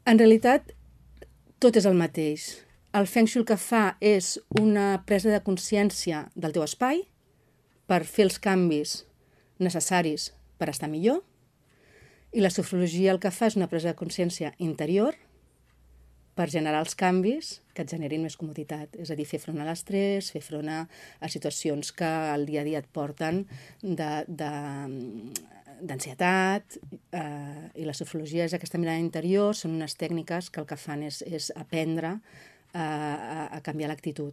En realitat, tot és el mateix. El Feng Shui el que fa és una presa de consciència del teu espai per fer els canvis necessaris per estar millor, i la sofrologia el que fa és una presa de consciència interior per generar els canvis que et generin més comoditat. És a dir, fer front a l'estrès, fer front a situacions que al dia a dia et porten d'ansietat, i la sofrologia és aquesta mirada interior, són unes tècniques que el que fan és aprendre a canviar l'actitud.